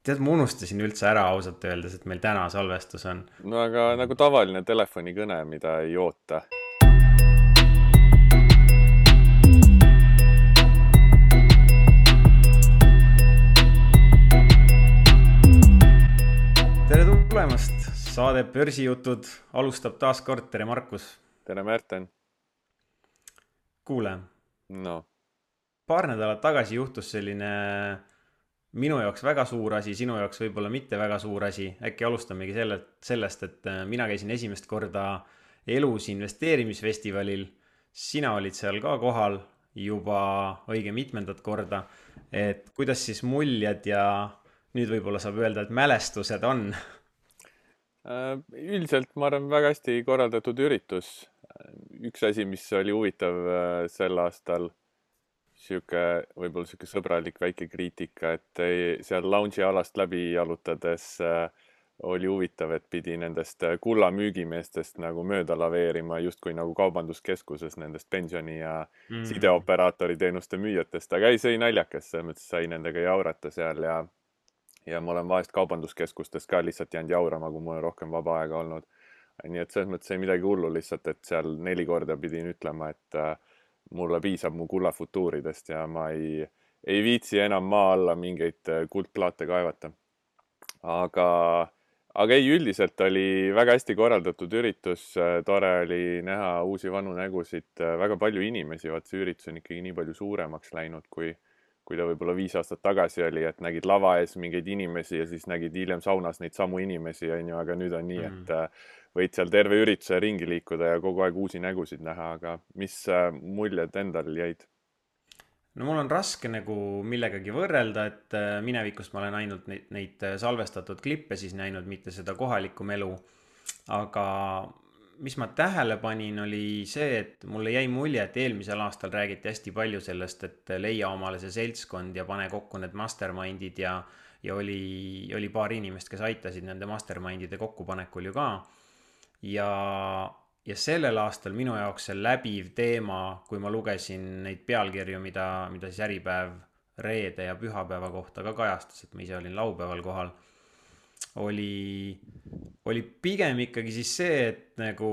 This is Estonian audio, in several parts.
Tead, ma unustasin üldse ära ausalt öeldes, et meil täna salvestus on. No aga nagu tavaline telefonikõne, mida ei oota. Tere tulemast, saade Börsijutud alustab taas kord, tere Markus. Tere, Märten. Kuule, No, paar nädalat tagasi juhtus selline minu jaoks väga suur asi, sinu jaoks võib-olla mitte väga suur asi. Äkki alustamegi sellest, et mina käisin esimest korda elus investeerimisfestivalil. Sina olid seal ka kohal juba õige mitmendat korda. Et kuidas siis muljed ja nüüd võib-olla saab öelda, et mälestused on? üldiselt ma arvan väga hästi korraldatud üritus. Üks asi, mis oli huvitav sel aastal, võib-olla sihuke sõbralik väike kriitika, et seal lounge'i alast läbi jalutades oli huvitav, et pidi nendest kulla müügimeestest nagu mööda laveerima, justkui nagu kaubanduskeskuses nendest pensioni ja sideoperaatori teenuste müüjatest, aga ei, see oli naljakas, selles mõttes sai nendega jaurata seal ja ma olen vahest kaubanduskeskustes ka lihtsalt jäänud jaurama, kui mul on rohkem vaba aega olnud. Nii et selles mõttes ei midagi hullu, lihtsalt, et seal 4 korda pidin ütlema, et mulle piisab mu kullafutuuridest ja ma ei viitsi enam maa alla mingeid kuldplaate kaevata. Aga ei, üldiselt oli väga hästi korraldatud üritus, tore oli näha uusi vanu nägusid, väga palju inimesi, vaat see üritus on ikkagi nii palju suuremaks läinud, kui ta võib-olla 5 aastat tagasi oli, et nägid lava ees mingeid inimesi ja siis nägid hiljem saunas neid samu inimesi, on ju, aga nüüd on nii, et võid seal terve ürituse ringi liikuda ja kogu aeg uusi nägusid näha, aga mis muljed endal jäid? No mul on raske nagu millegagi võrrelda, et minevikust ma olen ainult neid salvestatud klippe siis näinud, mitte seda kohalikku melu. Aga mis ma tähele panin, oli see, et mulle jäi mulje, et eelmisel aastal räägiti hästi palju sellest, et leia omale see seltskond ja pane kokku need mastermindid ja oli paar inimest, kes aitasid nende mastermindide kokkupanekul ju ka. Ja sellel aastal minu jaoks see läbiv teema, kui ma lugesin neid pealkirju, mida siis Äripäev reede ja pühapäeva kohta ka kajastas, et ma ise olin laupäeval kohal, oli pigem ikkagi siis see, et nagu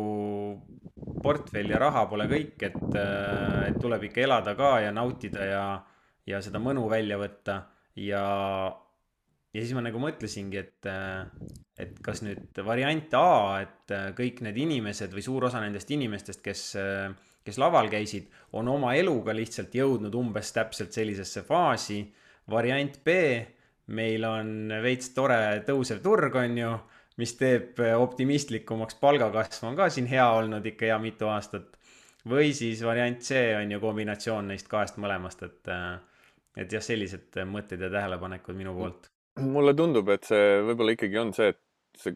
portfell ja raha pole kõik, et tuleb ikka elada ka ja nautida ja seda mõnu välja võtta ja ja siis ma nagu mõtlesingi, et kas nüüd variant A, et kõik need inimesed või suur osa nendest inimestest, kes laval käisid, on oma eluga lihtsalt jõudnud umbes täpselt sellisesse faasi. Variant B, meil on veits tore tõusev turg, on ju, mis teeb optimistlikumaks, palgakasv on ka siin hea olnud ikka hea mitu aastat. Või siis variant C on ju kombinatsioon neist kahest mõlemast, et jah, sellised mõtted ja tähelepanekud minu poolt. Mulle tundub, et see võib-olla ikkagi on see, et see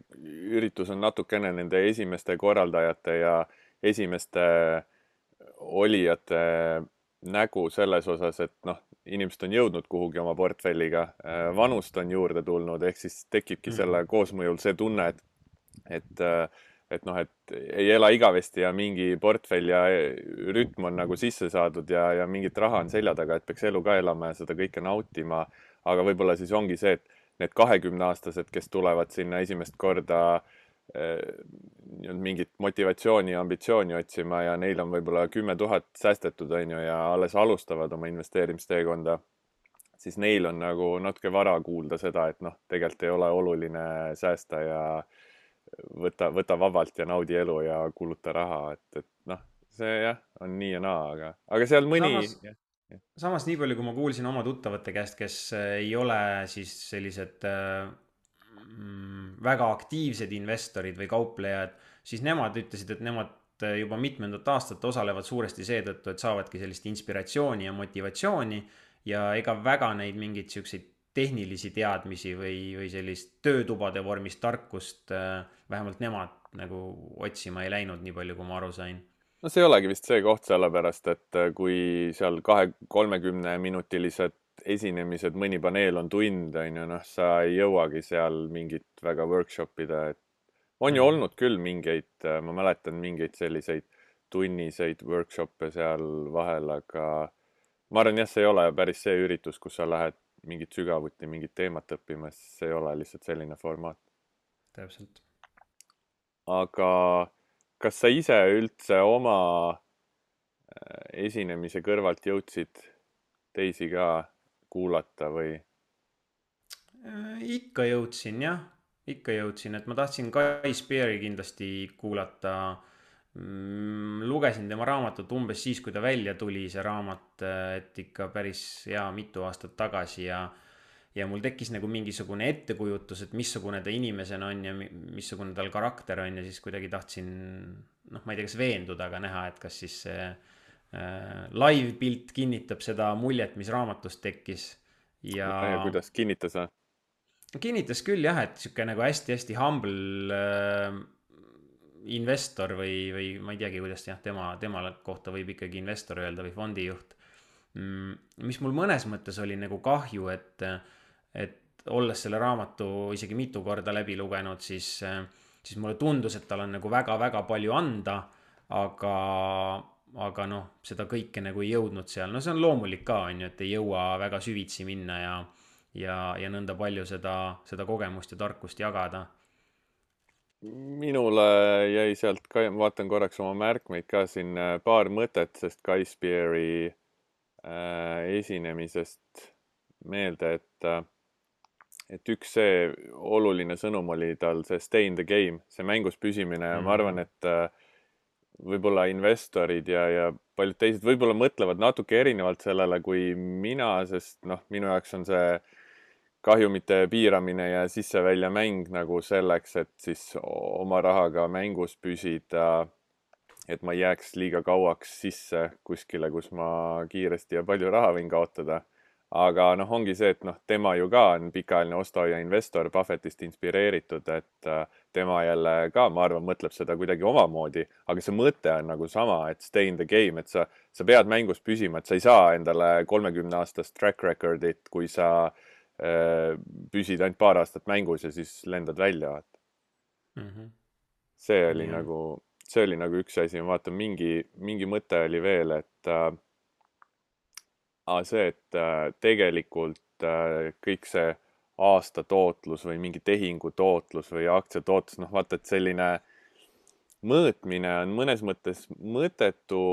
üritus on natukene nende esimeste korraldajate ja esimeste olijate nägu selles osas, et noh, inimesed on jõudnud kuhugi oma portfelliga, vanust on juurde tulnud, ehk siis tekibki selle koosmõjul see tunne, et noh, et ei ela igavesti ja mingi portfell ja rütm on nagu sisse saadud ja mingit raha on selja taga, et peaks elu ka elama ja seda kõike nautima. Aga võib-olla siis ongi see, et need 20-aastased, kes tulevad sinna esimest korda mingit motivatsiooni ja ambitsiooni otsima ja neil on võib-olla 10 000 säästetud, on ju, ja alles alustavad oma investeerimisteekonda, siis neil on nagu natuke vara kuulda seda, et noh, tegelikult ei ole oluline säästa ja võta vabalt ja naudi elu ja kuluta raha, et noh, see jah, on nii ja naa, aga seal mõni... Samas, samas nii palju, kui ma kuulsin oma tuttavate käest, kes ei ole siis sellised väga aktiivsed investorid või kauplejad, siis nemad ütlesid, et nemad juba mitmendat aastat osalevad suuresti seetõttu, et saavadki sellist inspiratsiooni ja motivatsiooni ja ega väga neid mingeid siukseid tehnilisi teadmisi või sellist töötubade vormis tarkust vähemalt nemad nagu otsima ei läinud, nii palju kui ma aru sain. No see ei olegi vist see koht, sellepärast, et kui seal 30-minutilised esinemised, mõni paneel on tund, on ju, noh, sa ei jõuagi seal mingit väga workshopida, et on ju olnud küll mingeid, ma mäletan mingeid selliseid tunniseid workshop'e seal vahel, aga ma arvan jah, see ei ole päris see üritus, kus sa lähed mingit sügavuti mingit teemat õppima, siis see ei ole lihtsalt selline formaat. täpselt. aga kas sa ise üldse oma esinemise kõrvalt jõudsid teisi ka kuulata või? Ikka jõudsin jah, ikka jõudsin, et ma tahtsin Guy Spear'i kindlasti kuulata. Lugesin tema raamatut umbes siis, kui ta välja tuli, see raamat, et ikka päris hea mitu aastat tagasi ja mul tekkis nagu mingisugune ettekujutus, et missugune ta inimesena on ja missugune tal karakter on ja siis kuidagi tahtsin, noh, ma ei tea, kas veenduda, aga näha, et kas siis see live pilt kinnitab seda muljet, mis raamatust tekkis ja Ja kuidas kinnitas või? kinnitas küll jah, et sihuke nagu hästi-hästi humble investor või ma ei teagi, kuidas jah, tema kohta võib ikkagi investor öelda või fondijuht. Mis mul mõnes mõttes oli nagu kahju, et olles selle raamatu isegi mitu korda läbi lugenud, siis mulle tundus, et tal on nagu väga-väga palju anda, aga noh, seda kõike nagu ei jõudnud seal. No see on loomulik ka, on ju, et ei jõua väga süvitsi minna ja nõnda palju seda kogemust ja tarkust jagada. Minule jäi sealt ka, vaatan korraks oma märkmeid ka siin paar mõtet, sest Guy Spear'i esinemisest meelde, et üks see oluline sõnum oli tal see stay in the game, see mängus püsimine ja ma arvan, et võib-olla investorid ja paljud teised võib-olla mõtlevad natuke erinevalt sellele kui mina, sest noh, minu jaoks on see kahjumite piiramine ja sisse-välja mäng nagu selleks, et siis oma rahaga mängus püsida, et ma ei jääks liiga kauaks sisse kuskile, kus ma kiiresti ja palju raha võin kaotada. Aga noh, ongi see, et noh, tema ju ka on pikaajaline ostuhoia investor, Buffettist inspireeritud, et tema jälle ka, ma arvan, mõtleb seda kuidagi omamoodi, aga see mõte on nagu sama, et stay in the game, et sa pead mängus püsima, et sa ei saa endale 30-aastast track record'it, kui sa püsid ainult paar aastat mängus ja siis lendad välja. See oli nagu üks asi, ma vaatan, mingi mõte oli veel, et see, et tegelikult kõik see aasta tootlus või mingi tehingu tootlus või aktsia tootlus, noh vaata, et selline mõõtmine on mõnes mõttes mõttetu.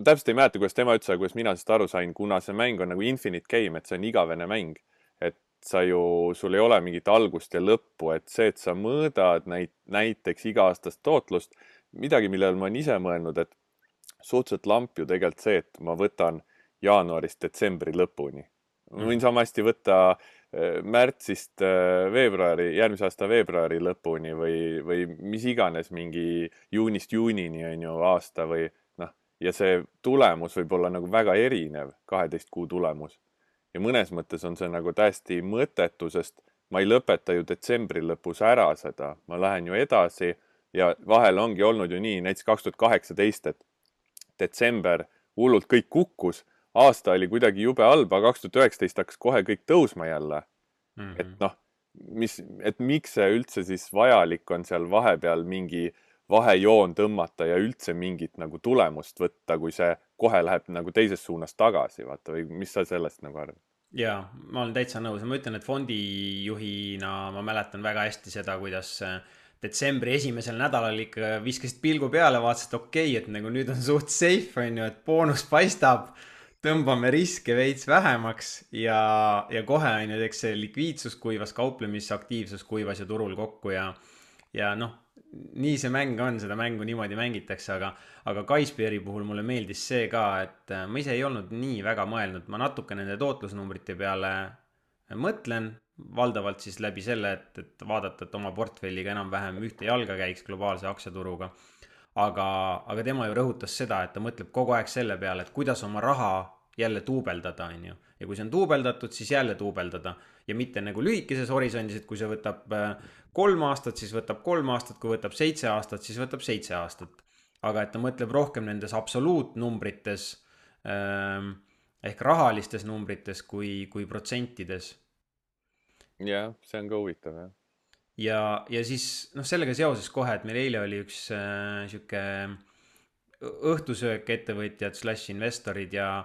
Täpselt ei mäleta, kuidas tema ütles, aga kuidas mina sellest aru sain, kuna see mäng on nagu infinite game, et see on igavene mäng. Et sul ei ole mingit algust ja lõppu, et see, et sa mõõdad näiteks iga-aastast tootlust, midagi, millele ma olen ise mõelnud, et suhteliselt lamp ju tegelikult see, et ma võtan jaanuarist detsembri lõpuni. Ma võin sama hästi võtta märtsist veebruari, järgmise aasta veebruari lõpuni või mis iganes mingi juunist juunini on ju aasta või noh, ja see tulemus võib olla nagu väga erinev, 12 kuu tulemus. Ja mõnes mõttes on see nagu täiesti mõttetu, sest ma ei lõpeta ju detsembri lõpus ära seda. Ma lähen ju edasi ja vahel ongi olnud ju nii, näiteks 2018, et detsember hullult kõik kukkus, aasta oli kuidagi jube halb, aga 2019 hakkas kohe kõik tõusma jälle. Et noh, miks see üldse siis vajalik on seal vahepeal mingi vahejoon tõmmata ja üldse mingit nagu tulemust võtta, kui see kohe läheb nagu teises suunas tagasi, vaata, või mis sa sellest nagu arvad? Jaa, ma olen täitsa nõus. Ma ütlen, et fondijuhina ma mäletan väga hästi seda, kuidas detsembri esimesel nädalal ikka viskasid pilgu peale, vaatasid, et okei, et nagu nüüd on suht safe, on ju, et boonus paistab, tõmbame riske veits vähemaks ja kohe on ju, eks see likviidsus kuivas, kauplemisaktiivsus kuivas ja turul kokku ja noh, nii see mäng on, seda mängu niimoodi mängitakse, aga Guy Spear'i puhul mulle meeldis see ka, et ma ise ei olnud nii väga mõelnud, ma natuke nende tootlusnumbrite peale mõtlen, valdavalt siis läbi selle, et vaadata, et oma portfelliga enam-vähem ühte jalga käiks globaalse aktsiaturuga. Aga tema ju rõhutas seda, et ta mõtleb kogu aeg selle peale, et kuidas oma raha jälle tuubeldada, on ju. Ja kui see on tuubeldatud, siis jälle tuubeldada. Ja mitte nagu lühikeses horisondis, et kui see võtab 3 aastat, siis võtab 3 aastat, kui võtab 7 aastat, siis võtab 7 aastat. Aga et ta mõtleb rohkem nendes absoluutnumbrites ehk rahalistes numbrites kui protsentides. Jah, see on ka huvitav, jah. Ja siis sellega seoses kohe, et meil eile oli üks sihuke õhtusöök ettevõtjad / investorid ja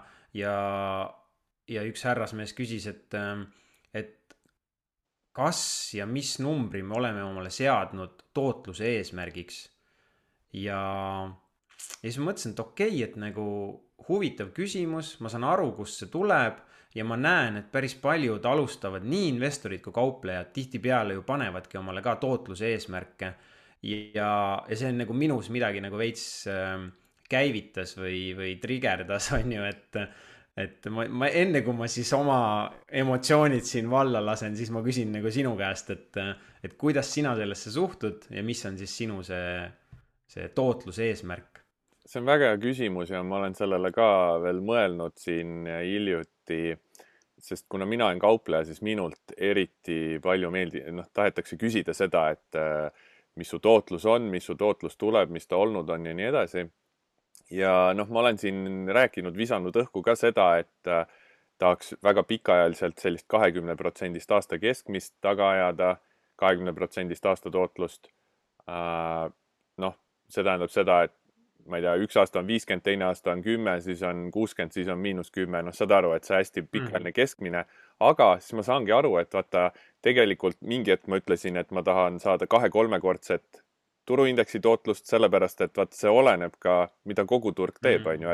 ja üks härrasmees küsis, et kas ja mis numbri me oleme omale seadnud tootluse eesmärgiks. ja, ja siis ma mõtlesin, et okei, et nagu huvitav küsimus, ma saan aru, kust see tuleb ja ma näen, et päris paljud alustavad, nii investorid kui kauplejad tihtipeale ju panevadki omale ka tootluse eesmärke. Ja see on nagu minus midagi nagu veits käivitas või trigerdas, on ju, et ma enne kui ma siis oma emotsioonid siin valla lasen, siis ma küsin nagu sinu käest, et kuidas sina sellesse suhtud ja mis on siis sinu see tootluse eesmärk? See on väga hea küsimus ja ma olen sellele ka veel mõelnud siin hiljuti, sest kuna mina olen kaupleja, siis minult eriti palju tahetakse küsida seda, et mis su tootlus on, mis su tootlus tuleb, mis ta olnud on ja nii edasi. Ja ma olen siin rääkinud, visanud õhku ka seda, et tahaks väga pikaajaliselt sellist 20% aasta keskmist taga ajada, 20% aasta tootlust. See tähendab seda, et ma ei tea, üks aasta on 50, teine aasta on 10, siis on 60, siis on -10. Saad aru, et see hästi pikaajaline keskmine. Aga siis ma saangi aru, et vaata, tegelikult mingi hetk ma ütlesin, et ma tahan saada 2-3-kordset turuindeksi tootlust, sellepärast, et vaata, see oleneb ka, mida kogu turg teeb, on ju,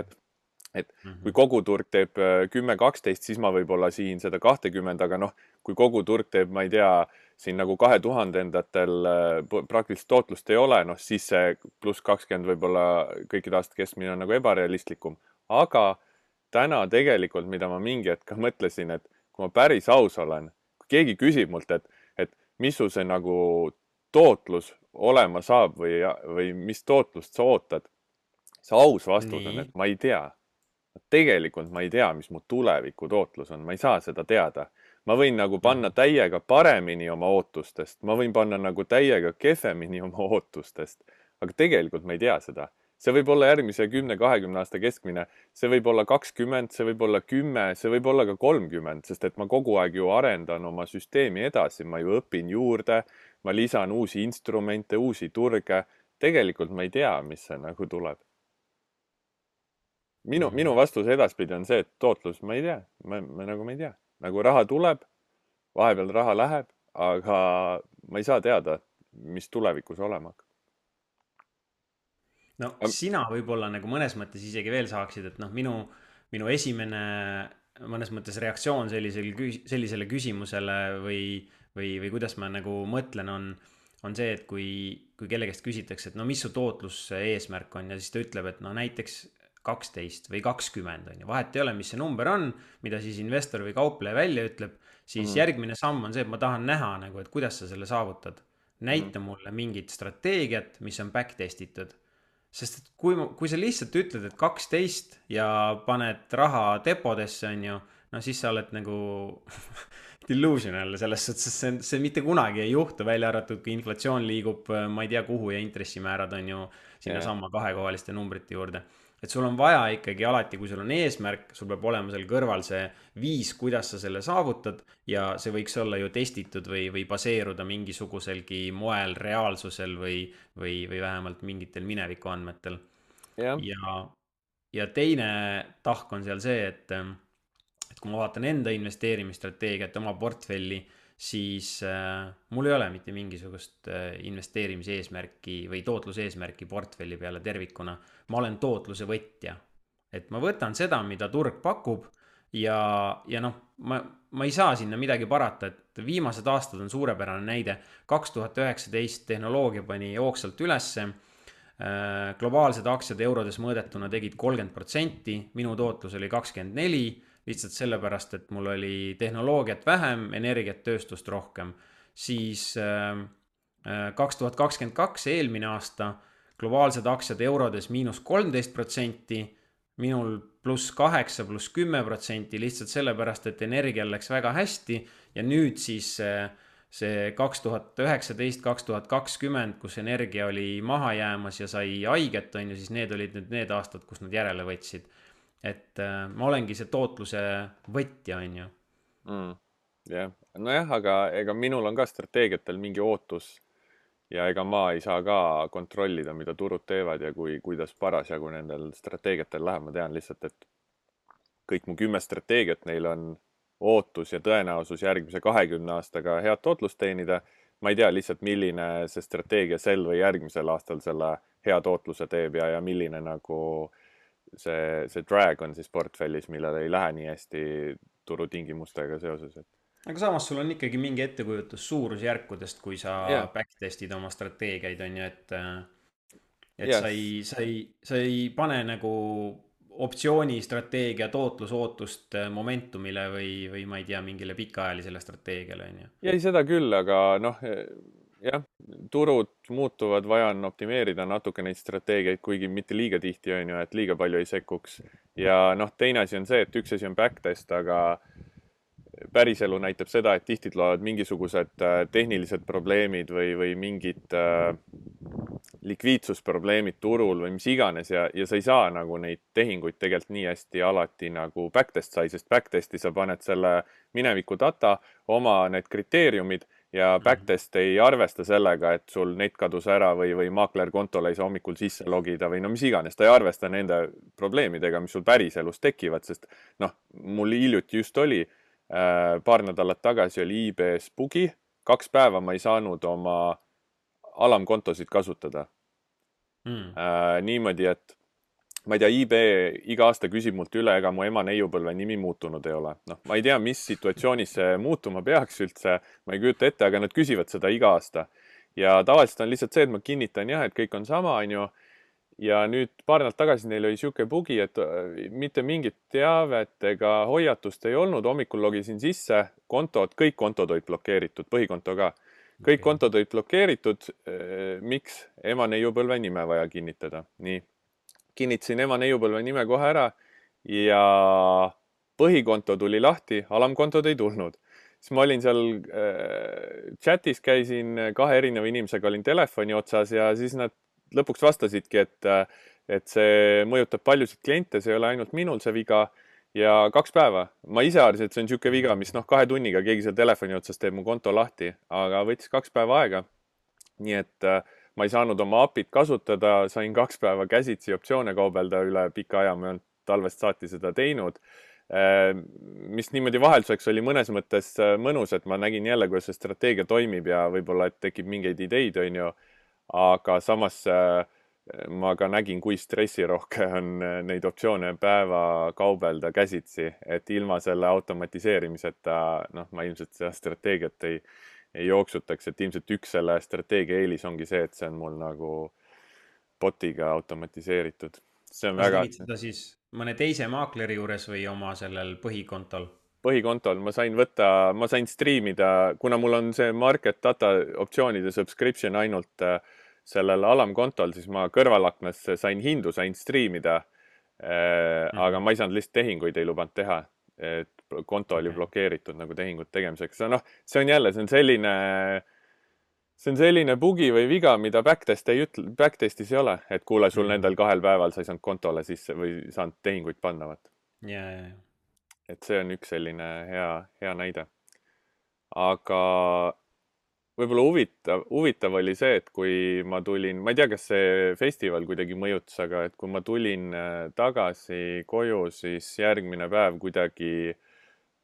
et kui kogu turg teeb 10-12, siis ma võib-olla siin seda 20, aga kui kogu turg teeb, ma ei tea, siin nagu 2000-ndatel praktiliselt tootlust ei ole, siis see +20 võib-olla kõikide aastate keskmine on nagu ebarealistlikum. Aga täna tegelikult, mida ma mingi hetk mõtlesin, et kui ma päris aus olen, kui keegi küsib mult, et mis su see nagu tootlus olema saab või mis tootlust sa ootad, see aus vastus on, et ma ei tea. Tegelikult ma ei tea, mis mu tuleviku tootlus on, ma ei saa seda teada. Ma võin nagu panna täiega paremini oma ootustest, ma võin panna nagu täiega kehvemini oma ootustest, aga tegelikult ma ei tea seda. See võib olla järgmise 10-20 aasta keskmine, see võib olla 20, see võib olla 10, see võib olla ka 30, sest et ma kogu aeg ju arendan oma süsteemi edasi, ma ju õpin juurde, ma lisan uusi instrumente, uusi turge. Tegelikult ma ei tea, mis see nagu tuleb. Minu vastus edaspidi on see, et tootlus, ma ei tea, ma nagu ma ei tea. Nagu raha tuleb, vahepeal raha läheb, aga ma ei saa teada, mis tulevikus olema hakkab. No sina võib-olla nagu mõnes mõttes isegi veel saaksid, et minu esimene mõnes mõttes reaktsioon sellisele küsimusele või kuidas ma nagu mõtlen, on see, et kui kelle käest küsitakse, et mis su tootlus eesmärk on ja siis ta ütleb, et näiteks 12 või 20 on ju, vahet ei ole, mis see number on, mida siis investor või kaupleja välja ütleb, siis järgmine samm on see, et ma tahan näha nagu, et kuidas sa selle saavutad. Näita mulle mingit strateegiat, mis on backtestitud. Sest et kui sa lihtsalt ütled, et 12 ja paned raha depodesse, on ju, siis sa oled nagu delusional selles suhtes, see mitte kunagi ei juhtu, välja arvatud, kui inflatsioon liigub, ma ei tea kuhu ja intressimäärad on ju sinna samma kahekohaliste numbrite juurde. Et sul on vaja ikkagi alati, kui sul on eesmärk, sul peab olema seal kõrval see viis, kuidas sa selle saavutad ja see võiks olla ju testitud või baseeruda mingisuguselgi moel reaalsusel või vähemalt mingitel mineviku andmetel. Ja teine tahk on seal see, et kui ma vaatan enda investeerimisstrateegiat, oma portfelli, siis mul ei ole mitte mingisugust investeerimise eesmärki või tootluse eesmärki portfelli peale tervikuna. Ma olen tootluse võtja. Et ma võtan seda, mida turg pakub ja ma ei saa sinna midagi parata, et viimased aastad on suurepärane näide. 2019 tehnoloogia pani jooksvalt ülesse. Globaalsed aktsiad eurodes mõõdetuna tegid 30%, minu tootlus oli 24%. Lihtsalt sellepärast, et mul oli tehnoloogiat vähem, energiat, tööstust rohkem. Siis 2022 eelmine aasta globaalsed aktsiad eurodes -13%, minul +8, +10%, lihtsalt sellepärast, et energial läks väga hästi ja nüüd siis see 2019, 2020, kus energia oli maha jäämas ja sai haiget, on ju, siis need olid nüüd need aastad, kus nad järele võtsid. Et ma olengi see tootluse võtja, on ju. Jah, nojah, aga ega minul on ka strateegiatel mingi ootus ja ega ma ei saa ka kontrollida, mida turud teevad ja kuidas parasjagu nendel strateegiatel läheb. Ma tean lihtsalt, et kõik mu 10 strateegiat, neil on ootus ja tõenäosus järgmise 20 aastaga head tootlust teenida. Ma ei tea lihtsalt, milline see strateegia sel või järgmisel aastal selle hea tootluse teeb ja milline nagu see drag on siis portfellis, millel ei lähe nii hästi turutingimustega seoses. aga samas sul on ikkagi mingi ettekujutus suurusjärkudest, kui sa Jah, backtest'id oma strateegiaid, on ju, et jah, sa ei pane nagu optsiooni strateegia tootlusootust momentumile või ma ei tea, mingile pikaajalisele strateegiale, on ju. jäi seda küll, aga noh, jah, turud muutuvad, vaja on optimeerida natuke neid strateegiaid, kuigi mitte liiga tihti on ju, et liiga palju ei sekkuks. Ja noh, teine asi on see, et üks asi on backtest, aga päriselu näitab seda, et tihti tulevad mingisugused tehnilised probleemid või mingid likviidsusprobleemid turul või mis iganes ja sa ei saa nagu neid tehinguid tegelikult nii hästi alati nagu backtest sai, sest backtesti sa paned selle mineviku data, oma need kriteeriumid ja backtest ei arvesta sellega, et sul net kadus ära või maakler kontole ei saa hommikul sisse logida või no mis iganes, ta ei arvesta nende probleemidega, mis sul päriselus tekivad, sest noh, mul hiljuti just oli paar nädalat tagasi oli eBay's bugi, 2 päeva ma ei saanud oma alamkontosid kasutada. Niimoodi, et ma ei tea, eBay iga aasta küsib mult üle, ega mu ema neiupõlve nimi muutunud ei ole. Noh, ma ei tea, mis situatsioonis see muutuma peaks üldse, ma ei kujuta ette, aga nad küsivad seda iga aasta. Ja tavaliselt on lihtsalt see, et ma kinnitan jah, et kõik on sama, on ju. Ja nüüd paar nädalat tagasi neil oli siuke bugi, et mitte mingit teavet ega hoiatust ei olnud. Hommikul logisin sisse, kõik kontod olid blokeeritud, põhikonto ka. Kõik kontod olid blokeeritud. Miks? Ema neiupõlve nime vaja kinnitada. Nii. Kinnitasin ema neiupõlve nime kohe ära ja põhikonto tuli lahti, alamkontod ei tulnud. Siis ma olin seal chatis, käisin 2 erineva inimesega, olin telefoni otsas ja siis nad lõpuks vastasidki, et see mõjutab paljusid kliente, see ei ole ainult minul see viga ja 2 päeva. Ma ise arvasin, et see on siuke viga, mis 2 tunniga keegi seal telefoni otsas teeb mu konto lahti, aga võttis 2 päeva aega. Nii et ma ei saanud oma API-t kasutada, sain 2 päeva käsitsi optsioone kaubelda üle pika aja, ma ei olnud talvest saati seda teinud. Mis niimoodi vahelduseks oli mõnes mõttes mõnus, et ma nägin jälle, kuidas see strateegia toimib ja võib-olla, et tekib mingeid ideid, on ju. Aga samas ma ka nägin, kui stressirohke on neid optsioone päeva kaubelda käsitsi, et ilma selle automatiseerimiseta, noh, ma ilmselt seda strateegiat ei jooksutaks, et ilmselt üks selle strateegia eelis ongi see, et see on mul nagu botiga automatiseeritud. See on kas väga... tegid seda siis mõne teise maakleri juures või oma sellel põhikontol? Põhikontol ma sain striimida, kuna mul on see market data optsioonide subscription ainult sellel alamkontol, siis ma kõrvalaknas sain hindu, sain striimida, aga ma ei saanud lihtsalt tehinguid ei lubanud teha, et konto oli blokeeritud nagu tehingut tegemiseks. No, see on jälle, see on selline bugi või viga, mida backtestis ei ole, et kuule, sul nendel 2 päeval sa ei saanud kontole sisse või saanud tehinguid panna. Ja. Et see on üks selline hea näide. Aga võib-olla huvitav oli see, et kui ma tulin, ma ei tea, kas see festival kuidagi mõjutas, aga et kui ma tulin tagasi koju, siis järgmine päev kuidagi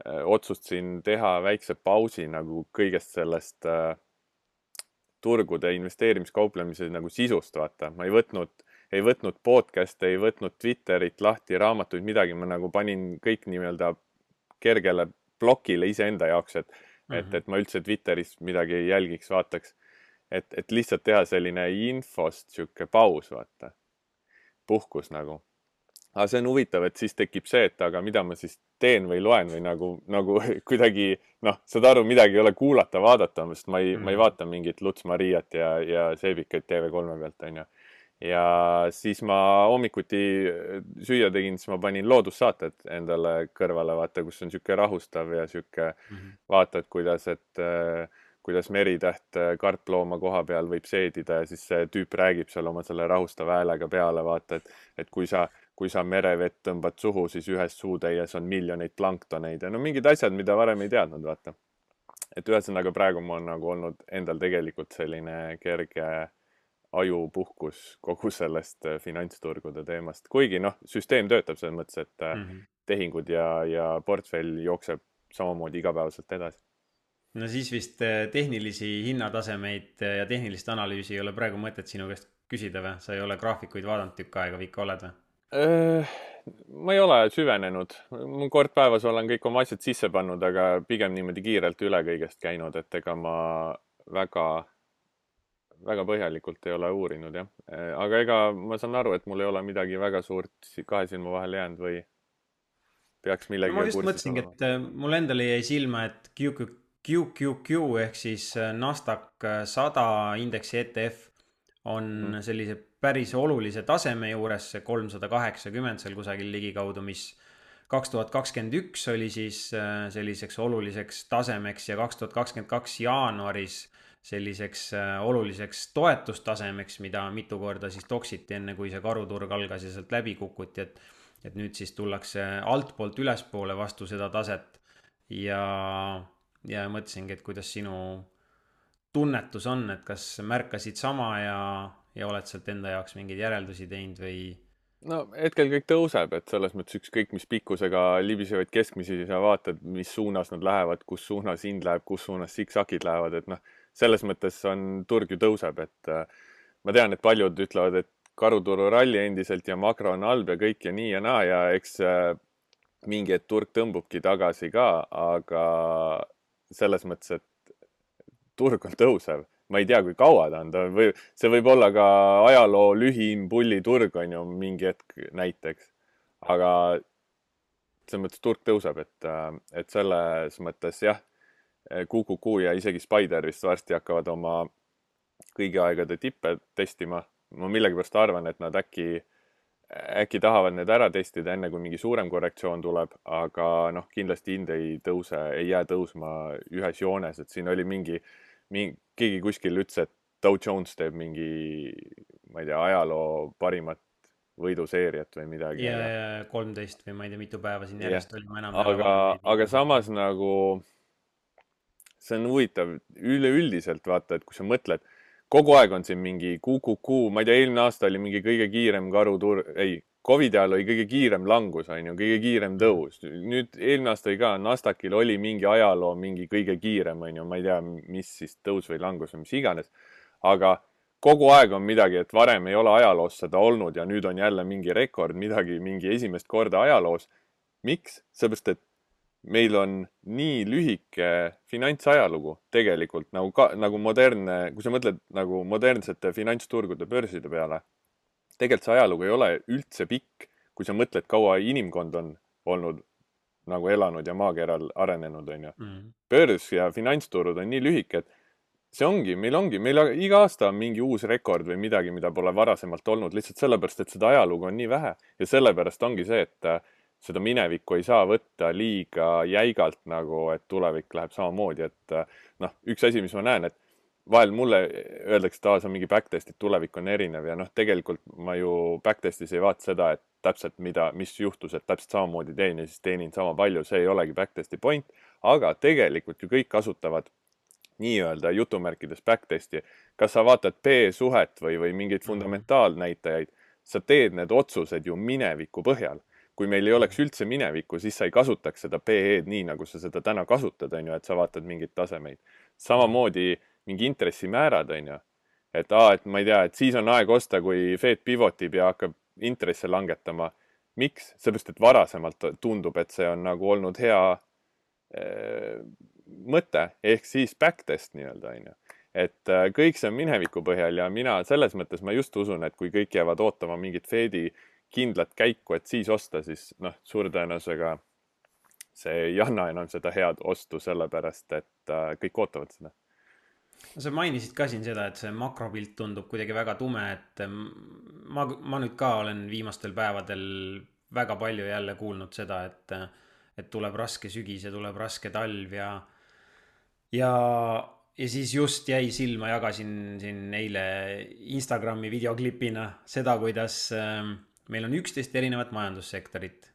otsustasin teha väikse pausi nagu kõigest sellest turgude investeerimiskauplemise nagu sisust, vaata. Ma ei võtnud podcast'e, ei võtnud Twitterit lahti, raamatuid, midagi. Ma nagu panin kõik nii-öelda kergele blokile iseenda jaoks, et ma üldse Twitteris midagi ei jälgiks, vaataks. Et lihtsalt teha selline infost siuke paus, vaata. Puhkus nagu. Aga see on huvitav, et siis tekib see, et aga mida ma siis teen või loen või nagu kuidagi, noh, saad aru, midagi ei ole kuulata, vaadata, sest ma ei vaata mingit Luts Mariat ja Seebikaid TV3 pealt, on ju. Ja siis ma hommikuti süüa tegin, siis ma panin loodussaated endale kõrvale, vaata, kus on siuke rahustav ja siuke vaatad, kuidas meritäht karplooma koha peal võib seedida ja siis see tüüp räägib seal oma selle rahustava häälega peale, vaata, et kui sa merevett tõmbad suhu, siis ühes suutäies on miljoneid planktoneid ja no mingid asjad, mida varem ei teadnud, vaata. Et ühesõnaga praegu ma on nagu olnud endal tegelikult selline kerge ajupuhkus kogu sellest finantsturgude teemast. Kuigi noh, süsteem töötab selles mõttes, et Mhm. tehingud ja portfell jookseb samamoodi igapäevaselt edasi. No siis vist tehnilisi hinnatasemeid ja tehnilist analüüsi ei ole praegu mõtet sinu käest küsida või? Sa ei ole graafikuid vaadanud tükk aega või ikka oled või? Ma ei ole süvenenud. Ma kord päevas olen kõik oma asjad sisse pannud, aga pigem niimoodi kiirelt üle kõigest käinud, et ega ma väga, väga põhjalikult ei ole uurinud, jah. Aga ega ma saan aru, et mul ei ole midagi väga suurt kahe silma vahele jäänud või peaks No ma millegagi just kursis mõtlesingi, olema. et mul endale jäi silma, et QQQ ehk siis Nasdaq 100 indeksi ETF Mhm. on sellise päris olulise taseme juures, see 380 seal kusagil ligikaudu, mis 2021 oli siis selliseks oluliseks tasemeks ja 2022 jaanuaris selliseks oluliseks toetustasemeks, mida mitu korda siis toksiti enne, kui see karuturg algas ja sealt läbi kukuti, et nüüd siis tullakse altpoolt ülespoole vastu seda taset ja, ja mõtlesingi, et kuidas sinu tunnetus on, et kas märkasid sama ja oled sealt enda jaoks mingeid järeldusi teinud või? No hetkel kõik tõuseb, et selles mõttes ükskõik mis pikkusega libisevaid keskmisi sa vaatad, mis suunas nad lähevad, kus suunas hind läheb, kus suunas siksakid lähevad, et noh, selles mõttes on turg ju tõuseb, et ma tean, et paljud ütlevad, et karuturu ralli endiselt ja makro on halb ja kõik ja nii ja naa ja eks mingi hetk turg tõmbubki tagasi ka, aga selles mõttes, et turg on tõusev. Ma ei tea, kui kaua ta on, see võib olla ka ajaloo lühim pulliturg on ju mingi hetk näiteks, aga selles mõttes turg tõuseb, et selles mõttes jah, QQQ ja isegi Spider vist varsti hakkavad oma kõigi aegade tippe testima. Ma millegipärast arvan, et nad äkki tahavad need ära testida enne, kui mingi suurem korrektsioon tuleb, aga noh, kindlasti hind ei tõuse, ei jää tõusma ühes joones, et siin oli keegi kuskil ütles, et Dow Jones teeb mingi, ma ei tea, ajaloo parimat võiduseeriat või midagi, ja 13 või ma ei tea, mitu päeva siin jah, järjest oli, ma enam ei ole vahepeal aga kasutanud. samas nagu see on huvitav üleüldiselt vaata, et kui sa mõtled, kogu aeg on siin mingi QQQ, ma ei tea, eelmine aasta oli mingi kõige kiirem ei, Covidi ajal oli kõige kiirem langus, on ju, kõige kiirem tõus. Nüüd eelmine aasta oli ka, Nasdaqil oli mingi ajaloo, mingi kõige kiirem, on ju, ma ei tea, mis siis tõus või langus või mis iganes. Aga kogu aeg on midagi, et varem ei ole ajaloos seda olnud ja nüüd on jälle mingi rekord, midagi, mingi esimest korda ajaloos. Miks? Seepärast, et meil on nii lühike finantsajalugu tegelikult nagu modernne, kui sa mõtled nagu modernsete finantsturgude börside peale, tegelikult see ajalugu ei ole üldse pikk, kui sa mõtled, kaua inimkond on olnud nagu elanud ja maakeral arenenud, on ju. Mm. Börs ja finantsturud on nii lühike, et meil iga aasta on mingi uus rekord või midagi, mida pole varasemalt olnud, lihtsalt sellepärast, et seda ajalugu on nii vähe ja sellepärast ongi see, et seda minevikku ei saa võtta liiga jäigalt nagu, et tulevik läheb samamoodi, et noh, üks asi, mis ma näen, et vahel mulle öeldakse, et see on mingi backtest, et tulevik on erinev ja noh, tegelikult ma ju backtestis ei vaata seda, et täpselt mis juhtus, et täpselt samamoodi teen ja siis teenin sama palju, see ei olegi backtesti point, aga tegelikult ju kõik kasutavad nii-öelda jutumärkides backtesti. Kas sa vaatad P-suhet või mingeid fundamentaalnäitajaid, sa teed need otsused ju mineviku põhjal. Kui meil ei oleks üldse minevikku, siis sa ei kasutaks seda PE-d nii, nagu sa seda täna kasutad, on ju, et sa vaatad mingeid tasemeid. Samamoodi mingi intressimäärad, on ju. Et ma ei tea, et siis on aeg osta, kui Fed pivotib ja hakkab intresse langetama. Miks? Seepärast, et varasemalt tundub, et see on nagu olnud hea mõte, ehk siis backtest nii-öelda, on ju. Et kõik see on mineviku põhjal ja mina selles mõttes ma just usun, et kui kõik jäävad ootama mingit Fedi kindlat käiku, et siis osta, siis noh, suure tõenäosusega see ei anna enam seda head ostu, sellepärast et kõik ootavad seda. No sa mainisid ka siin seda, et see makropilt tundub kuidagi väga tume, et ma nüüd ka olen viimastel päevadel väga palju jälle kuulnud seda, et tuleb raske sügis ja tuleb raske talv ja, ja siis just jäi silma, jagasin siin eile Instagrami videoklipina seda, kuidas meil on 11 erinevat majandussektorit.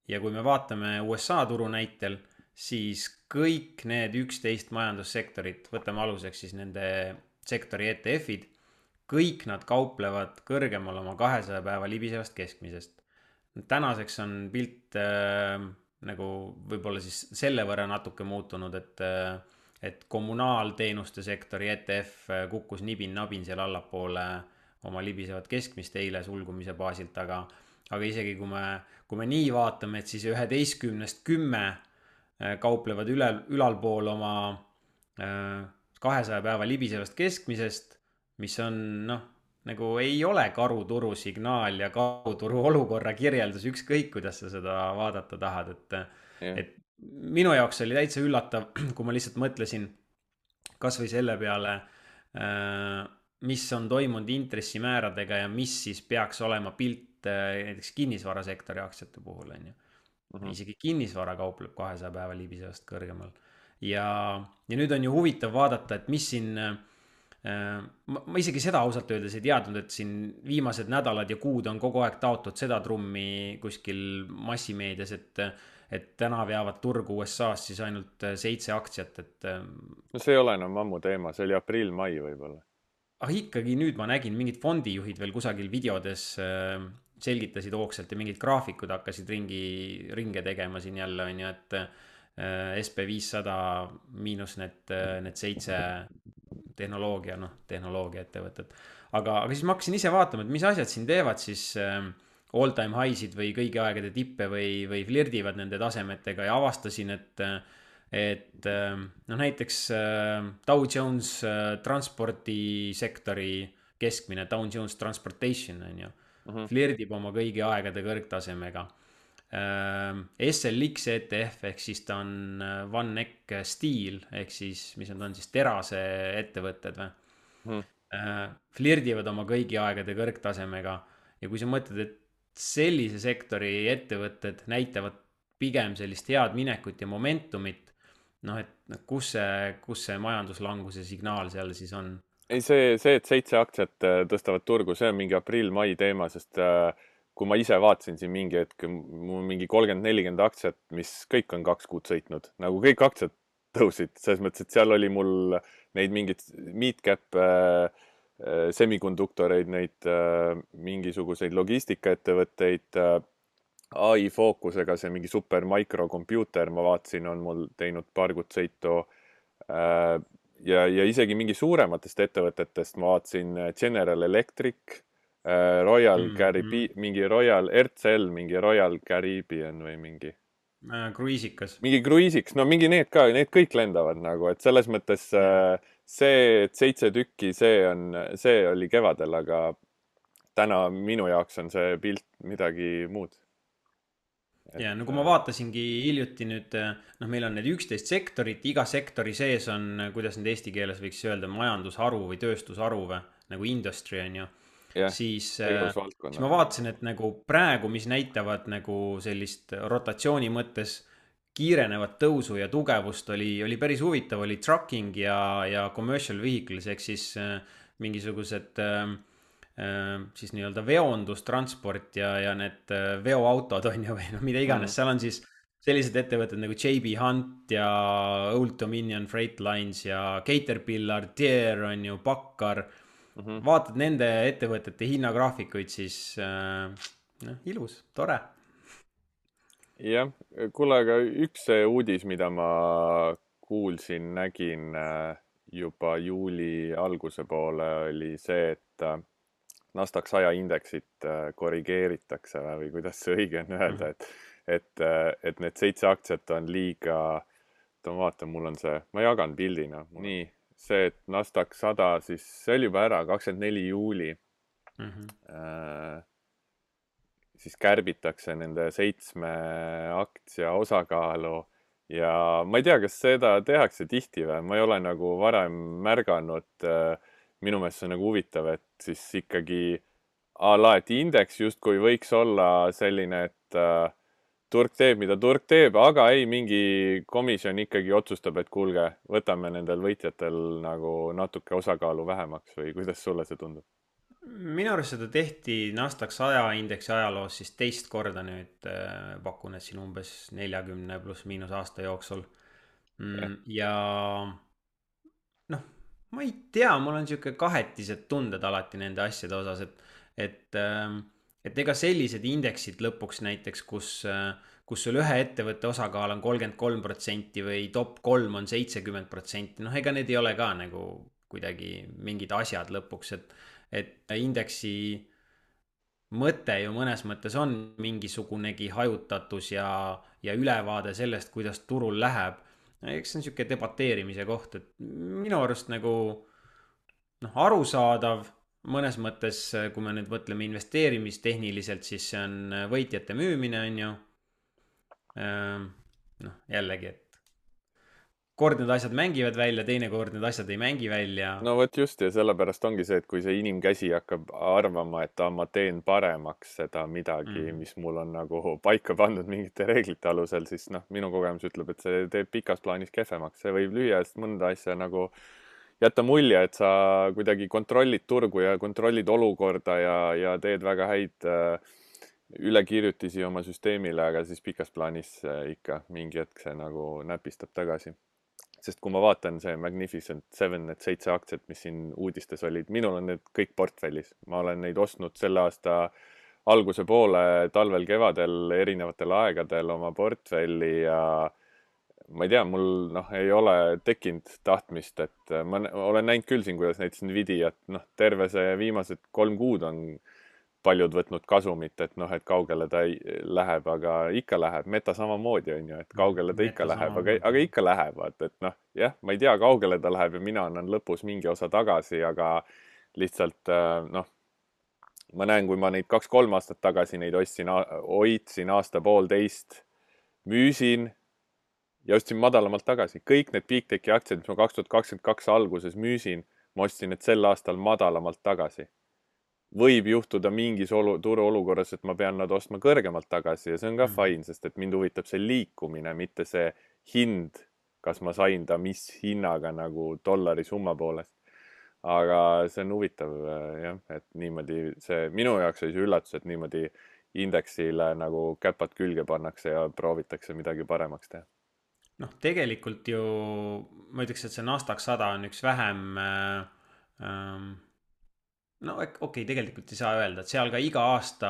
Ja kui me vaatame USA turu näitel, siis kõik need 11 majandussektorit, võtame aluseks siis nende sektori ETF-id, kõik nad kauplevad kõrgemal oma 200 päeva libisevast keskmisest. Tänaseks on pilt nagu võib-olla siis selle võrra natuke muutunud, et kommunaalteenuste sektori ETF kukkus nibin-nabin seal allapoole oma libisevat keskmist eile sulgumise baasilt, aga isegi kui me nii vaatame, et siis 11-st 10 kauplevad ülalpool oma 200 päeva libisevast keskmisest, mis on noh, nagu ei ole karuturu signaal ja karuturu olukorra kirjeldus, ükskõik kuidas sa seda vaadata tahad, jah. et minu jaoks oli täitsa üllatav, kui ma lihtsalt mõtlesin kas või selle peale, mis on toimunud intressimääradega ja mis siis peaks olema pilt näiteks kinnisvarasektori aktsiate puhul, on ju. Isegi kinnisvara kaupleb 200 päeva libisevast kõrgemal. Ja nüüd on ju huvitav vaadata, et mis siin, ma isegi seda ausalt öeldes ei teadnud, et siin viimased nädalad ja kuud on kogu aeg taotud seda trummi kuskil massimeedias, et täna veavad turgu USA-s siis ainult 7 aktsiat, No see ei ole enam ammu teema, see oli aprill-mai võib-olla. aga ikkagi nüüd ma nägin mingid fondijuhid veel kusagil videodes selgitasid hoogsalt ja mingid graafikud hakkasid ringe tegema siin jälle, on ju, et SB500 miinus need 7 tehnoloogia ettevõtet. Aga siis ma hakkasin ise vaatama, et mis asjad siin teevad siis all time high'sid või kõigi aegade tippe või flirdivad nende tasemetega ja avastasin, et noh, näiteks Dow Jones transpordisektori keskmine, Dow Jones Transportation on ju, flirdib oma kõigi aegade kõrgtasemega. SLX ETF ehk siis ta on One Neck Steel ehk siis, mis on siis terase ettevõtted või, flirdivad oma kõigi aegade kõrgtasemega. Ja kui sa mõtled, et sellise sektori ettevõtted näitavad pigem sellist head minekut ja momentumit, noh, et kus see majanduslanguse signaal seal siis on? Ei, see, et 7 aktsiat tõstavad turgu, see on mingi aprill-mai teema, sest kui ma ise vaatasin siin mingi hetk, mul mingi 30-40 aktsiat, mis kõik on 2 kuud sõitnud, nagu kõik aktsiad tõusid, selles mõttes, et seal oli mul neid mingid mid-cap semikonduktoreid, neid mingisuguseid logistikaettevõtteid, AI fookusega, see mingi super microcomputer, ma vaatasin, on mul teinud paar kuud sõitu ja isegi mingi suurematest ettevõtetest ma vaatasin General Electric, Royal Caribbean, mingi Royal RCL, mingi Royal Caribbean või mingi Kruiisikas. Mingi kruiisiks, no mingi need ka, need kõik lendavad nagu, et selles mõttes see, et 7 tükki, see oli kevadel, aga täna minu jaoks on see pilt midagi muud. Ja no kui ma vaatasingi hiljuti nüüd, noh, meil on need 11 sektorit, iga sektori sees on, kuidas nüüd eesti keeles võiks öelda, majandusharu või tööstusharu või nagu industry on ju. Siis ma vaatasin, et nagu praegu, mis näitavad nagu sellist rotatsiooni mõttes kiirenevat tõusu ja tugevust oli päris huvitav, oli trucking ja commercial vehicles ehk siis mingisugused siis nii-öelda veondustransport ja need veoautod on ju või noh, mida iganes, seal on siis sellised ettevõtted nagu JB Hunt ja Old Dominion Freight Lines ja Caterpillar, Deere on ju, Packard. Vaatad nende ettevõtete hinnagraafikuid, siis ilus, tore. Jah, kuule, aga üks uudis, mida ma kuulsin, nägin juba juuli alguse poole, oli see, et Nasdaq 100 indeksit korrigeeritakse või kuidas see õige on öelda, et need 7 aktsiat on liiga, ma vaatan, mul on see, ma jagan pildina, nii. See, et Nasdaq 100, siis see oli juba ära, 24 juuli. Siis kärbitakse nende 7 aktsia osakaalu ja ma ei tea, kas seda tehakse tihti või, ma ei ole nagu varem märganud, minu meelest see on nagu huvitav, et siis ikkagi et indeks justkui võiks olla selline, et turg teeb, mida turg teeb, aga ei, mingi komisjon ikkagi otsustab, et kuulge, võtame nendel võitjatel nagu natuke osakaalu vähemaks või kuidas sulle see tundub? Minu arust seda tehti Nasdaq 100 indeksi ajaloos siis teist korda nüüd pakun, et siin umbes 40 pluss miinus aasta jooksul. Ja noh, ma ei tea, mul on sihuke kahetised tunded alati nende asjade osas, et, et ega sellised indeksid lõpuks näiteks, kus sul ühe ettevõtte osakaal on 33% või top 3 on 70%, noh, ega need ei ole ka nagu kuidagi mingid asjad lõpuks, et indeksi mõte ju mõnes mõttes on mingisugunegi hajutatus ja ülevaade sellest, kuidas turul läheb. Eks see on sihuke debateerimise koht, et minu arust nagu noh, arusaadav mõnes mõttes, kui me nüüd mõtleme investeerimistehniliselt, siis see on võitjate müümine, on ju. Noh, jällegi, et kord need asjad mängivad välja, teinekord need asjad ei mängi välja. no vot just, ja sellepärast ongi see, et kui see inimkäsi hakkab arvama, et ma teen paremaks seda midagi, mis mul on nagu paika pandud mingite reeglite alusel, siis noh, minu kogemus ütleb, et see teeb pikas plaanis kehvemaks. See võib lühiajast mõnda asja nagu jätta mulje, et sa kuidagi kontrollid turgu ja kontrollid olukorda ja teed väga häid ülekirjutisi oma süsteemile, aga siis pikas plaanis ikka mingi hetk see nagu näpistab tagasi. Sest kui ma vaatan see Magnificent Seven, need 7 aktsiat, mis siin uudistes olid, minul on need kõik portfellis. Ma olen neid ostnud selle aasta alguse poole, talvel, kevadel, erinevatel aegadel oma portfelli ja ma ei tea, mul ei ole tekkinud tahtmist, et ma olen näinud küll siin, kuidas näiteks Nvidiat, terve see viimased 3 kuud on paljud võtnud kasumit, et et kaugele ta läheb, aga ikka läheb. Meta samamoodi on ju, et kaugele ta ikka läheb, aga ikka lähevad, et jah, ma ei tea, kaugele ta läheb ja mina annan lõpus mingi osa tagasi, aga lihtsalt ma näen, kui ma neid 2-3 aastat tagasi neid hoidsin aasta-poolteist, müüsin ja ostsin madalamalt tagasi. Kõik need Big Techi aktsiad, mis ma 2022 alguses müüsin, ma ostsin need sel aastal madalamalt tagasi. Võib juhtuda mingis turuolukorras, et ma pean nad ostma kõrgemalt tagasi ja see on ka fine, sest et mind huvitab see liikumine, mitte see hind, kas ma sain ta mis hinnaga nagu dollari summa poolest. Aga see on huvitav jah, et niimoodi see minu jaoks oli see üllatus, et niimoodi indeksile nagu käpad külge pannakse ja proovitakse midagi paremaks teha. Noh, tegelikult ju ma ütleks, et see Nasdaq 100 on üks vähem no okei, tegelikult ei saa öelda, et seal ka iga aasta,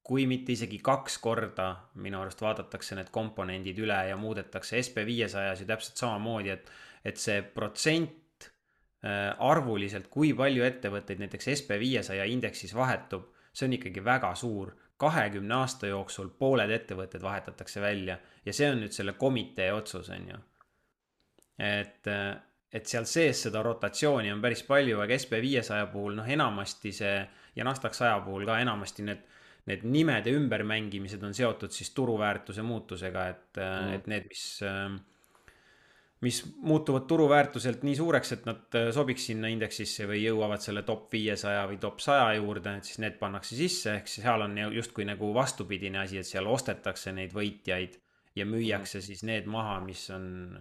kui mitte isegi 2 korda minu arust vaadatakse need komponendid üle ja muudetakse SB500-s ju täpselt samamoodi, et see protsent arvuliselt, kui palju ettevõtteid näiteks SB500 indeksis vahetub, see on ikkagi väga suur. 20 aasta jooksul pooled ettevõtted vahetatakse välja ja see on nüüd selle komitee otsus, on ju. Et seal sees seda rotatsiooni on päris palju, aga SB500 puhul enamasti see ja Nasdaq 100 puhul ka enamasti need nimede ümbermängimised on seotud siis turuväärtuse muutusega, et need, mis muutuvad turuväärtuselt nii suureks, et nad sobiks sinna indeksisse või jõuavad selle top 500 või top 100 juurde, et siis need pannakse sisse, ehk seal on justkui nagu vastupidine asi, et seal ostetakse neid võitjaid ja müüakse siis need maha, mis on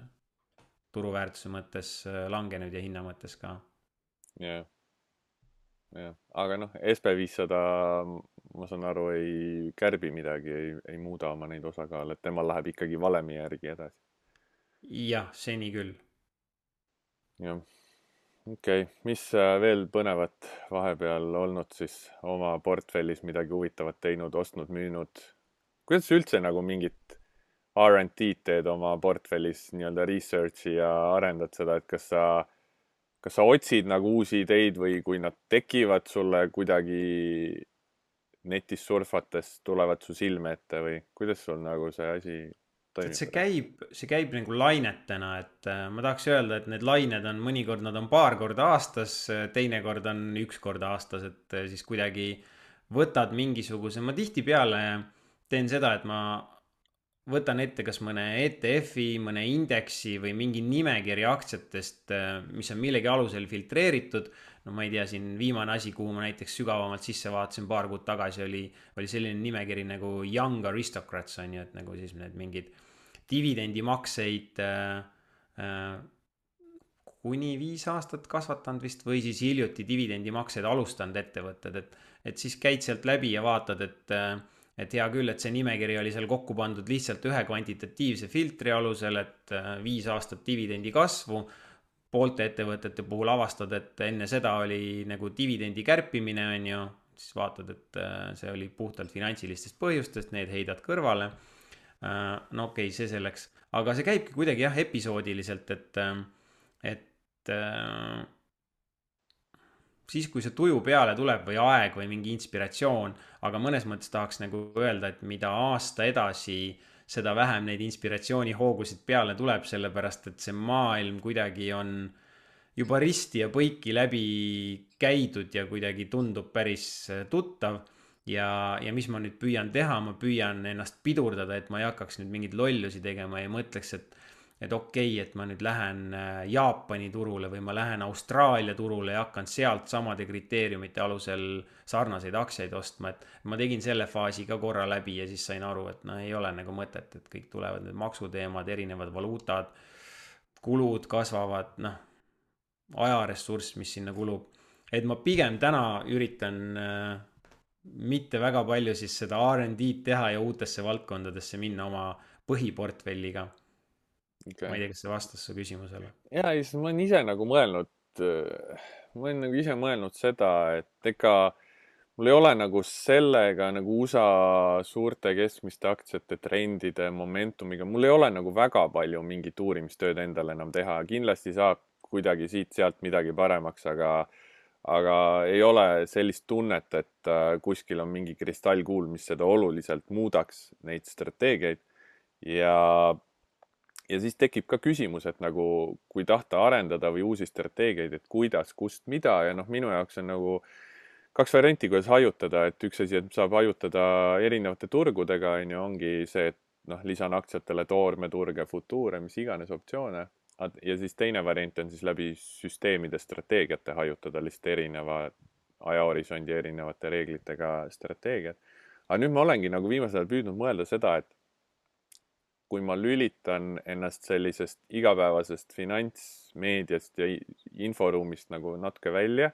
turuväärtuse mõttes langenud ja hinna mõttes ka. Jah. Aga SB500, ma saan aru, ei kärbi midagi, ei muuda oma neid osakaale, et temal läheb ikkagi valemi järgi edasi. Jah, seni küll. Jah. Okei. Mis veel põnevat vahepeal olnud siis oma portfellis midagi huvitavat teinud, ostnud, müünud? Kuidas üldse nagu mingit R&D teed oma portfellis nii-öelda researchi ja arendad seda, et kas sa otsid nagu uusi ideid või kui nad tekivad sulle kuidagi netis surfates, tulevad su silme ette või kuidas sul nagu see asi toimib? See käib nagu lainetena, et ma tahaks öelda, et need lained on mõnikord, nad on paar korda aastas, teinekord on 1 kord aastas, et siis kuidagi võtad mingisuguse, ma tihtipeale teen seda, et ma võtan ette kas mõne ETF-i, mõne indeksi või mingi nimekirja aktsiatest, mis on millegi alusel filtreeritud. No ma ei tea, siin viimane asi, kuhu ma näiteks sügavamalt sisse vaatasin paar kuud tagasi, oli selline nimekiri nagu Young Aristocrats, on ju, et nagu siis need mingid dividendimakseid kuni 5 aastat kasvatanud vist või siis hiljuti dividendimakseid alustanud ettevõtted, et siis käid sealt läbi ja vaatad, et hea küll, et see nimekiri oli seal kokku pandud lihtsalt ühe kvantitatiivse filtri alusel, et 5 aastat dividendi kasvu, poolte ettevõtete puhul avastad, et enne seda oli nagu dividendi kärpimine, on ju, siis vaatad, et see oli puhtalt finantsilistest põhjustest, need heidad kõrvale. No okei, see selleks, aga see käibki kuidagi jah, episoodiliselt, et siis, kui see tuju peale tuleb või aeg või mingi inspiratsioon, aga mõnes mõttes tahaks nagu öelda, et mida aasta edasi, seda vähem neid inspiratsioonihoogusid peale tuleb, sellepärast et see maailm kuidagi on juba risti ja põiki läbi käidud ja kuidagi tundub päris tuttav. Ja mis ma nüüd püüan teha, ma püüan ennast pidurdada, et ma ei hakkaks nüüd mingeid lollusi tegema ja mõtleks, et okei, et ma nüüd lähen Jaapani turule või ma lähen Austraalia turule ja hakkan sealt samade kriteeriumite alusel sarnaseid aktsiaid ostma, et ma tegin selle faasi ka korra läbi ja siis sain aru, et no ei ole nagu mõtet, et kõik tulevad need maksuteemad, erinevad valuutad, kulud kasvavad, noh, ajaressurss, mis sinna kulub. Et ma pigem täna üritan mitte väga palju siis seda R&D-d teha ja uutesse valdkondadesse minna oma põhiportfelliga. Okay. Ma ei tea, kas see vastas su küsimusele. Ja siis ma olen ise nagu mõelnud, seda, et ega mul ei ole nagu sellega nagu USA suurte keskmiste aktsiate trendide momentumiga, mul ei ole nagu väga palju mingit uurimistööd endale enam teha. Kindlasti saab kuidagi siit-sealt midagi paremaks, aga ei ole sellist tunnet, et kuskil on mingi kristallkuul, mis seda oluliselt muudaks, neid strateegiaid. Ja siis tekib ka küsimus, et nagu kui tahta arendada või uusi strateegiaid, et kuidas, kust, mida ja noh, minu jaoks on nagu kaks varianti, kuidas hajutada, et üks asi, et saab hajutada erinevate turgudega, ongi see, et noh, lisan aktsiatele toormeturge, futuure, mis iganes optsioone. Ja siis teine variant on siis läbi süsteemide strateegiate hajutada lihtsalt erineva ajahorisondi erinevate reeglitega strateegiad. Aga nüüd ma olengi nagu viimasel ajal püüdnud mõelda seda, et kui ma lülitan ennast sellisest igapäevasest finantsmeediast ja inforuumist nagu natuke välja,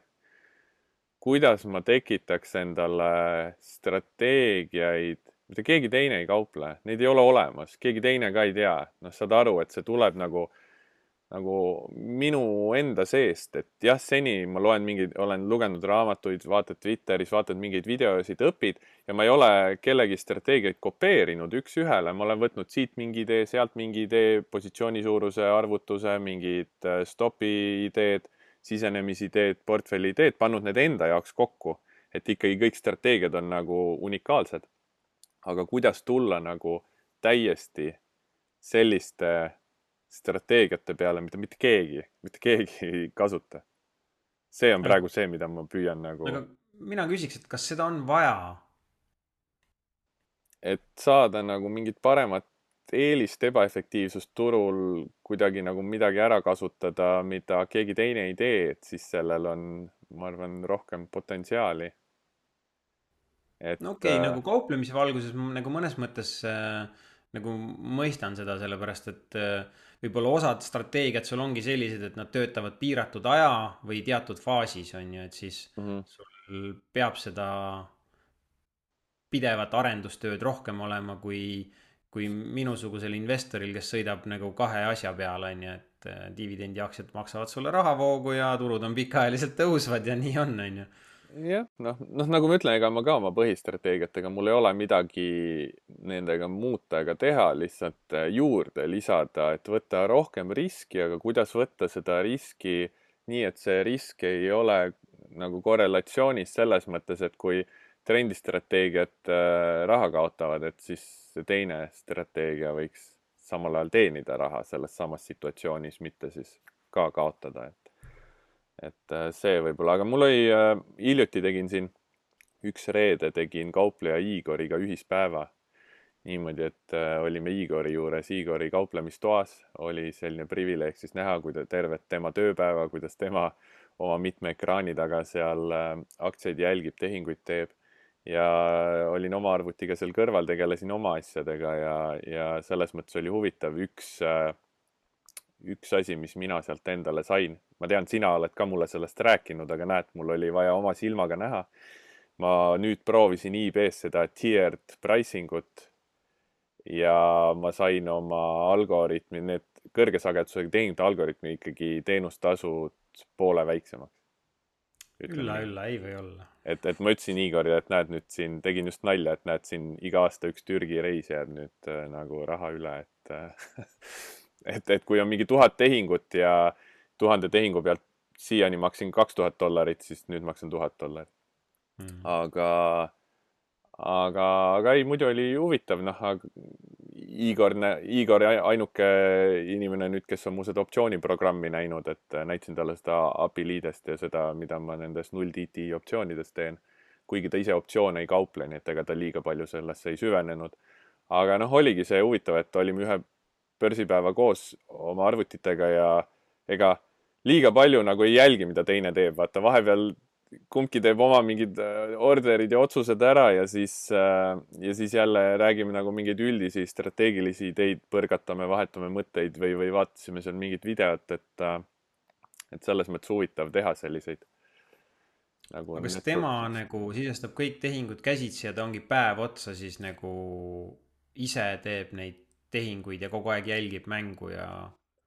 kuidas ma tekitaks endale strateegiaid, mida keegi teine ei kauple, neid ei ole olemas, keegi teine ka ei tea. Noh, saad aru, et see tuleb nagu minu enda seest, et jah, seni ma olen lugenud raamatuid, vaatad Twitteris, vaatad mingeid videosid, õpid ja ma ei ole kellegi strateegiaid kopeerinud üks-ühele. Ma olen võtnud siit mingi idee, sealt mingi idee, positsiooni suuruse arvutuse, mingid stopi ideed, sisenemisideed, portfelli ideed, pannud need enda jaoks kokku, et ikkagi kõik strateegiad on nagu unikaalsed. Aga kuidas tulla nagu täiesti selliste strateegiate peale, mida mitte keegi ei kasuta. See on praegu see, mida ma püüan nagu... Aga mina küsiks, et kas seda on vaja? Et saada nagu mingit paremat eelist ebaefektiivsust turul kuidagi nagu midagi ära kasutada, mida keegi teine ei tee, et siis sellel on, ma arvan, rohkem potentsiaali. No okei, nagu kauplemise valguses nagu mõnes mõttes nagu mõistan seda, sellepärast et võib-olla osad strateegiad sul ongi sellised, et nad töötavad piiratud aja või teatud faasis, on ju, et siis sul peab seda pidevat arendustööd rohkem olema kui minusugusel investoril, kes sõidab nagu kahe asja peale, on ju, et dividendiaktsiad maksavad sulle rahavoogu ja turud on pikaajaliselt tõusvad ja nii on ju. Jah, noh, nagu ma ütlen, ega ma ka oma põhistrateegiatega, mul ei ole midagi nendega muuta ega teha, lihtsalt juurde lisada, et võtta rohkem riski, aga kuidas võtta seda riski nii, et see risk ei ole nagu korrelatsioonis selles mõttes, et kui trendistrateegiad raha kaotavad, et siis see teine strateegia võiks samal ajal teenida raha selles samas situatsioonis, mitte siis ka kaotada, et see võib-olla, aga mul oli, hiljuti tegin siin üks reede, tegin kaupleja Igoriga ühispäeva. Niimoodi, et olime Igori juures, Igori kauplemistoas, oli selline privileeg siis näha, tervet tema tööpäeva, kuidas tema oma mitme ekraani taga seal aktsiaid jälgib, tehinguid teeb. Ja olin oma arvutiga seal kõrval, tegelesin oma asjadega ja selles mõttes oli huvitav üks asi, mis mina sealt endale sain. Ma tean, sina oled ka mulle sellest rääkinud, aga näed, mul oli vaja oma silmaga näha. Ma nüüd proovisin eBay's seda tiered pricing ut ja ma sain oma algoritmi, need kõrge sagedusega tehingute algoritmi ikkagi teenustasud poole väiksemaks. Ülla, ei või olla. Et ma ütlesin Igorile, et näed nüüd siin, tegin just nalja, et näed siin iga aasta üks Türgi reis jääb nüüd nagu raha üle, et kui on mingi 1000 tehingut ja 1000 tehingu pealt siiani maksin $2000, siis nüüd maksan $1000. Aga ei, muidu oli huvitav, Igor ainuke inimene nüüd, kes on mu seda optsiooniprogrammi näinud, et näitasin talle seda API liidest ja seda, mida ma nendes 0DT optsioonides teen. Kuigi ta ise optsioone ei kauple, nii et ega ta liiga palju sellesse ei süvenenud. Aga oligi see huvitav, et olime ühe börsipäeva koos oma arvutitega ja ega liiga palju nagu ei jälgi, mida teine teeb. Vaata, vahepeal kumbki teeb oma mingid orderid ja otsused ära ja siis jälle räägime nagu mingeid üldisi strateegilisi ideid, põrgatame, vahetame mõtteid või vaatasime seal mingit videot, et selles mõttes huvitav teha selliseid. Aga kas tema nagu sisestab kõik tehingud käsitsi ja ta ongi päev otsa siis nagu ise teeb neid tehinguid ja kogu aeg jälgib mängu ja...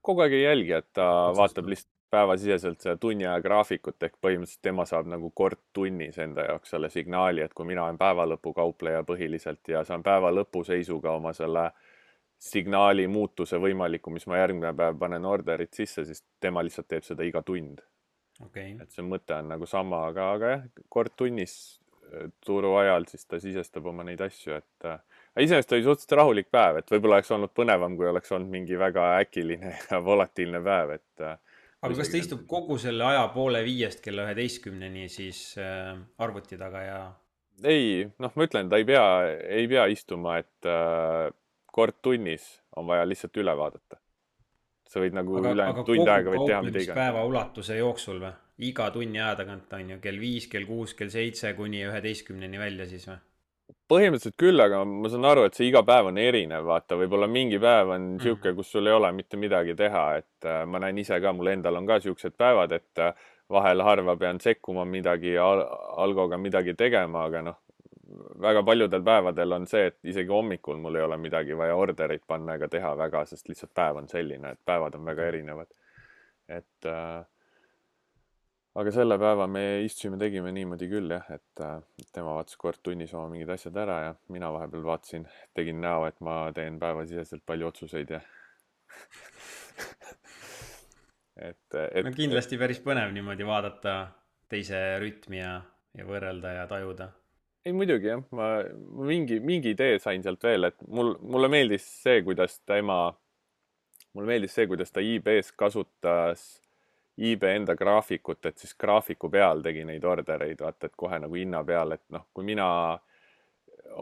Kogu aeg ei jälgi, et ta vaatab lihtsalt päevasiseselt seda tunni aja graafikut, ehk põhimõtteliselt tema saab nagu kord tunnis enda jaoks selle signaali, et kui mina olen päevalõpu kaupleja põhiliselt ja saan päevalõpu seisuga oma selle signaali muutuse võimaliku, mis ma järgmine päev panen orderit sisse, siis tema lihtsalt teeb seda iga tund. Okay. Et see mõte on nagu sama, aga jah, kord tunnis turu ajal siis ta sisestab oma neid asju, et iseenesest oli suhteliselt rahulik päev, et võib-olla oleks olnud põnevam, kui oleks olnud mingi väga äkiline ja volatiilne päev, et aga kas ta istub kogu selle aja 4:30 kella 11-ni siis arvuti taga ja... Ei, ma ütlen, ta ei pea istuma, et kord tunnis on vaja lihtsalt üle vaadata. Sa võid nagu tund aega võid teha mida iga. Päeva ulatuse jooksul või? Iga tunni aja tagant on ju kell 5, kell 6, kell 7 kuni 11-ni välja siis või? Põhimõtteliselt küll, aga ma saan aru, et see iga päev on erinev, vaata, võib-olla mingi päev on siuke, kus sul ei ole mitte midagi teha, et ma näen ise ka, mul endal on ka siuksed päevad, et vahel harva pean sekkuma midagi algoga midagi tegema, aga väga paljudel päevadel on see, et isegi hommikul mul ei ole midagi vaja orderit panna ega teha väga, sest lihtsalt päev on selline, et päevad on väga erinevad. Aga selle päeva me istusime, tegime niimoodi küll, jah, et tema vaatas kord tunnis oma mingid asjad ära ja mina vahepeal vaatasin, tegin näo, et ma teen päevasiseselt palju otsuseid ja kindlasti päris põnev niimoodi vaadata teise rütmi ja võrrelda ja tajuda. Ei muidugi jah, ma mingi idee sain sealt veel, et mulle meeldis see, kuidas ta eBay-s kasutas eBay enda graafikut, et siis graafiku peal tegi neid ordereid, vaata, et kohe nagu hinna peal, et kui mina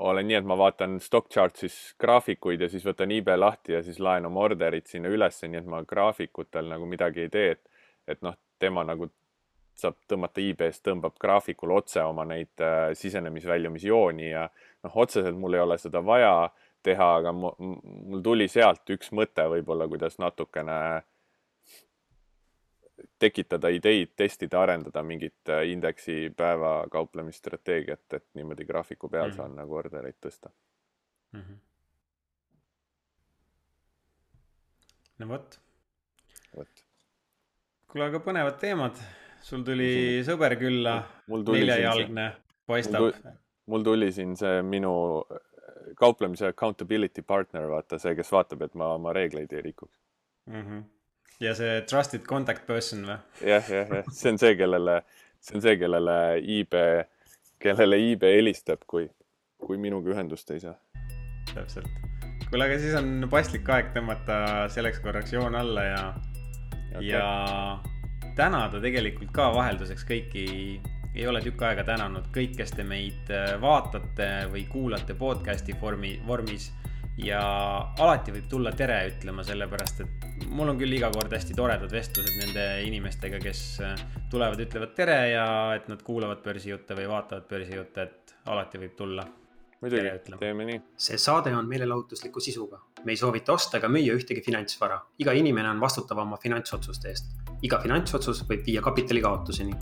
olen nii, et ma vaatan stock chart'is graafikuid ja siis võtan eBay lahti ja siis laen oma orderit sinna ülesse, nii et ma graafikutel nagu midagi ei tee, et tema nagu saab tõmmata eBay-st, tõmbab graafikul otse oma neid sisenemis-väljumisjooni ja otseselt mul ei ole seda vaja teha, aga mul tuli sealt üks mõte võib-olla, kuidas natukene tekitada ideid, testida, arendada mingit indeksi päeva kauplemisstrateegiat, et niimoodi graafiku peal saan nagu ordereid tõsta. No võt. Kuule, aga põnevad teemad. Sul tuli sõber külla, neljajalgne, paistab. Mul tuli siin see minu kauplemise accountability partner, vaata see, kes vaatab, et ma oma reegleid ei rikuks. Ja see trusted contact person või? Jah. See on see, kellele eBay helistab, kui minuga ühendust ei saa. Täpselt. Kuule, aga siis on paslik aeg tõmmata selleks korraks joon alla ja tänada tegelikult ka vahelduseks kõiki, ei ole tükk aega tänanud kõik, kes te meid vaatate või kuulate podcasti vormis ja alati võib tulla tere ütlema, sellepärast et mul on küll iga kord hästi toredad vestlused nende inimestega, kes tulevad, ütlevad tere ja et nad kuulavad börsijutte või vaatavad börsijutte, et alati võib tulla. Muidugi, teeme nii. See saade on meelelahutusliku sisuga. Me ei soovita osta ega müüa ühtegi finantsvara. Iga inimene on vastutav oma finantsotsuste eest. Iga finantsotsus võib viia kapitali kaotuseni.